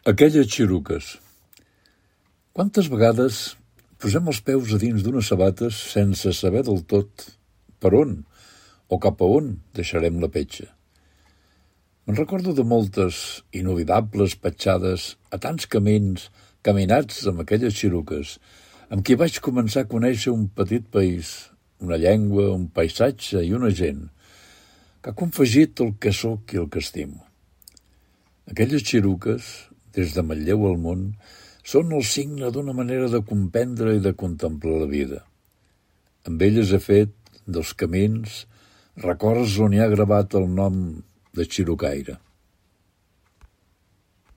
Aquelles xiruques. Quantes vegades posem els peus a dins d'unes sabates sense saber del tot per on o cap a on deixarem la petja? Me'n recordo de moltes inoblidables petjades a tants camins caminats amb aquelles xiruques, amb qui vaig començar a conèixer un petit país, una llengua, un paisatge i una gent, que ha confegit el que sóc i el que estimo. Aquelles xiruques, des de Manlleu al món, són el signe d'una manera de comprendre i de contemplar la vida. Amb elles he fet, dels camins, records on hi ha gravat el nom de xirucaire.